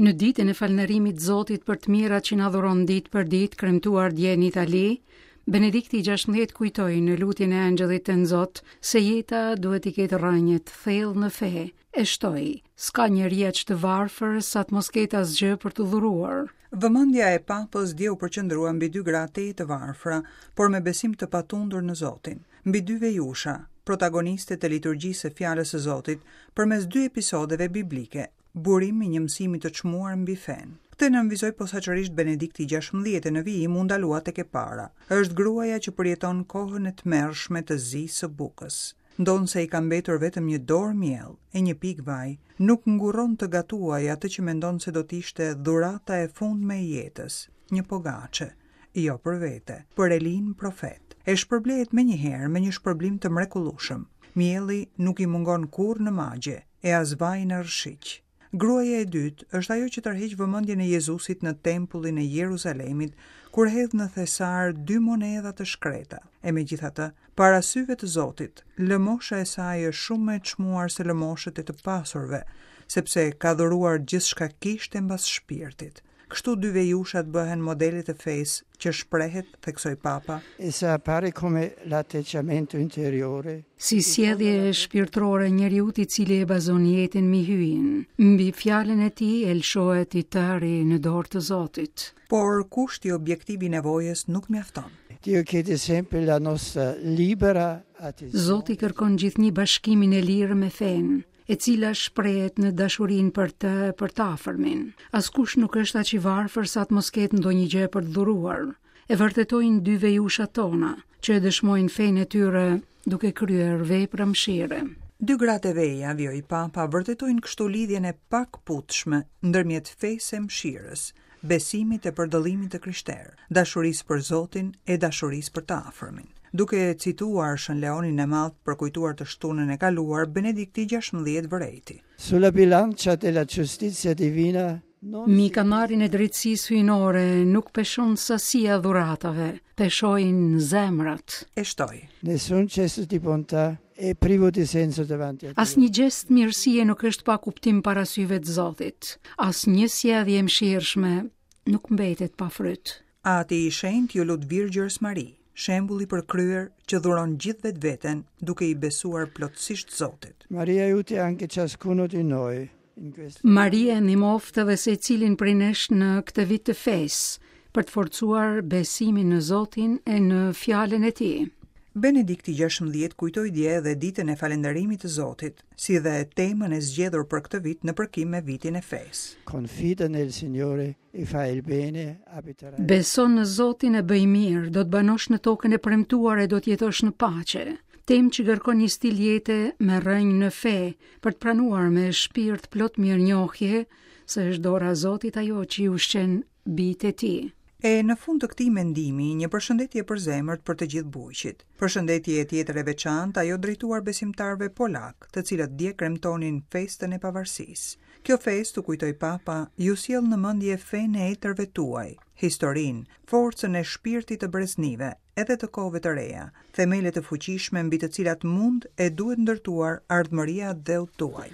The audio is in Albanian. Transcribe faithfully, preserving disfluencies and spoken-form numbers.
Në ditën e falënderimit Zotit për të mirat që na dhuron ditë për ditë, kremtuar dje në Itali, Benedikti i gjashtëmbëdhjetë kujtoi në lutjen e Engjëllit të Zot se jeta duhet i ketë rrënjët thellë në fe, e shtoi: "S'ka njeri aq të varfër sa të mos ketë asgjë për të dhuruar." Vëmendja e Papës dje u përqendrua mbi dy gra tejet të varfra, por me besim të patundur në Zotin, mbi dy vejusha, protagoniste të liturgjisë së fjalës së Zotit, përmes dy episodeve biblike, burim i një mësimi të çmuar mbi fenë. Këtë nënvizoi posaçërisht Benedikti i gjashtëmbëdhjetë në vijim u ndalua tek e para. Është gruaja që përjeton kohën e tmerrshme të zisë së bukës. Ndonëse i ka mbetur vetëm një dorë miell e një pikë vaj, nuk ngurron të gatuajë atë që mendon se do të ishte dhurata e fundme e jetës, një pogaçe, jo për vete, për Elin profet. E shpërblehet menjëherë me një shpërblim të mrekullueshëm. Mielli nuk i mungon kurrë në magje, e as vaji në rrëshiq. Gruaja e dytë është ajo që tërheq vëmendjen e Jezusit në tempullin e Jeruzalemit, kur hedh në thesar dy monedha të shkreta. E megjithatë, para syve të Zotit, lëmosha e saj është shumë më e çmuar se lëmoshët e të pasurve, sepse ka dhuruar gjithçka kishte mbas shpirtit. Kështu dy vejushat bëhen modelet e fesë që shprehet, theksoi Papa. Essa appare come l'atteggiamento interiore. Si sjellje shpirtërore njeriu i cili e bazon jetën mbi hyjin, mbi fjalën e tij e lëshohet i tëri në dorë të Zotit. Por kushti objektiv i nevojës nuk mjafton. Dio chiede sempre la nostra libera adesione. Zoti kërkon gjithnjë bashkimin e lirë me fenë, e cila shprehet në dashurinë për të e për të afërmin. Askush nuk është aq i varfër sa të mos ketë ndonjë gjë për të dhuruar. E vërtetojnë dy vejushat tona, që e dëshmojnë fenë e tyre duke kryer vepra mëshire. Dy gratë e veja, vijoi Papa, vërtetojnë kështu lidhjen e pakputshme ndërmjet fesë e mëshirës, besimit e përdëllimit të krishterë, dashurisë për Zotin e dashurisë për të afërmin. Duke cituar Shën Leonin e Madh për kujtuar të shtunën e kaluar, Benedikti i gjashtëmbëdhjetë vërejti. Sulla bilancia della giustizia divina non Mi kamarin e drejtësisë hyjnore nuk peshon sasia dhuratave, peshojnë zemrat. E shtoi. Nessun gesto di bontà è privo di senso davanti a Dio. Asnjë gjest mirësie nuk është pa kuptim para syve të Zotit. Asnjë sjellje e mëshirshme nuk mbetet pa fryt. Ati i Shenjtë ju lut Virgjërës Mari, shembulli për kryer që dhuron gjithë vetveten duke i besuar plotësisht Zotit. Maria aiuti anche ciascuno di noi in questo. Maria ndihmoftë edhe secilin prej nesh në këtë vit të fesë, për të forcuar besimin në Zotin e në fjalën e Tij. Benedikti gjashtëmbëdhjetë kujtoi dje edhe ditën e falënderimit të Zotit, si dhe temën e zgjedhur për këtë vit në përkim me vitin e fesë. Confida nel Signore e fai il bene, abiterai. Beson në Zotin e bëj mirë, do të banosh në tokën e premtuar e do të jetosh në paqe. Temë që kërkon një stil jete me rrënjë në fe, për të pranuar me shpirt plot mirënjohje se është dora e Zotit ajo që i ushqen bijtë e tij. E në fund të këtij mendimi, një përshëndetje për zemërt për të gjithë bujqit. Përshëndetje tjetër e veçantë ajo drejtuar besimtarëve polak, të cilët dje kremtonin festën e pavarësisë. Kjo festë, u kujtoi Papa, ju sjell në mendje fenë e etërve tuaj, historinë, forcën e shpirtit të breznive, edhe të kohëve të reja, themele të fuqishme mbi të cilat mund e duhet ndërtuar ardhmëria e dheut tuaj.